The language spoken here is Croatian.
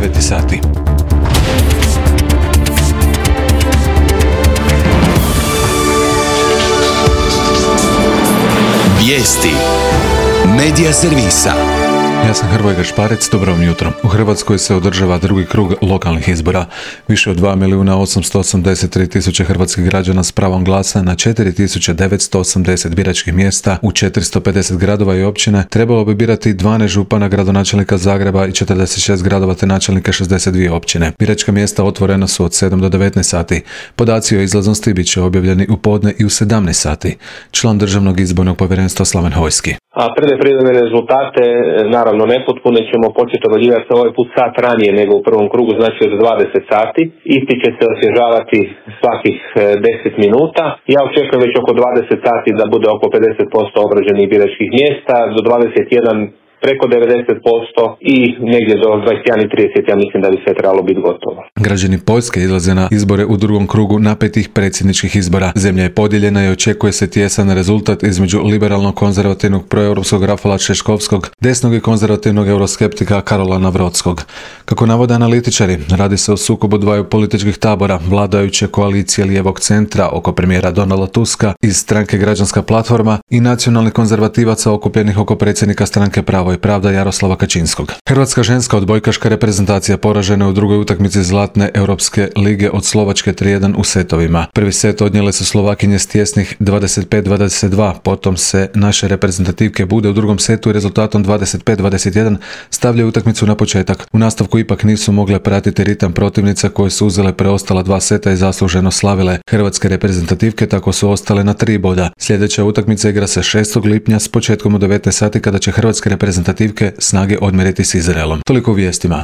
9 sati. Vijesti Medija servisa. Ja sam Hrvoje Gašparec, dobro vam jutro. U Hrvatskoj se održava drugi krug lokalnih izbora. Više od 2.883.000 hrvatskih građana s pravom glasa na 4.980 biračkih mjesta u 450 gradova i općine trebalo bi birati 12 župana, gradonačelnika Zagreba i 46 gradova te načelnike 62 općine. Biračka mjesta otvorena su od 7 do 19 sati. Podaci o izlaznosti bit će objavljeni u podne i u 17 sati. Član Državnog izbornog povjerenstva Slaven Hojski. A prve rezultate, naravno nepotpune, ćemo početi objavljivati ovaj put sat ranije nego u prvom krugu, znači od 20 sati. Isti će se osvježavati svakih 10 minuta. Ja očekujem već oko 20 sati da bude oko 50% obrađenih biračkih mjesta, do 21 preko 90% i negdje do 21:30 ja mislim da bi sve trebalo biti gotovo. Građani Poljske izlaze na izbore u drugom krugu napetih predsjedničkih izbora. Zemlja je podijeljena i očekuje se tijesan rezultat između liberalno-konzervativnog proeuropskog Rafala Češkovskog, desnog i konzervativnog euroskeptika Karola Navrodskog. Kako navode analitičari, radi se o sukobu dvaju političkih tabora, vladajuće koalicije lijevog centra oko premijera Donalda Tuska iz stranke Građanska platforma i nacionalnih konzervativaca okupljenih oko predsjednika stranke Pravo i pravda Jaroslava Kačinskog. Hrvatska ženska odbojkaška reprezentacija poražena u drugoj utakmici Zlatne Europske lige od Slovačke 3:1 u setovima. Prvi set odnijele su Slovakinje s tjesnih 25-22, potom se naše reprezentativke bude u drugom setu i rezultatom 25-21 stavljaju utakmicu na početak. U nastavku ipak nisu mogle pratiti ritam protivnica koje su uzele preostala dva seta i zasluženo slavile. Hrvatske reprezentativke tako su ostale na 3 boda. Sljedeća utakmica igra se 6. lipnja s početkom u 19 sati kada će hrvatske reprezentativke snage odmjeriti s Izraelom. Toliko u vijestima.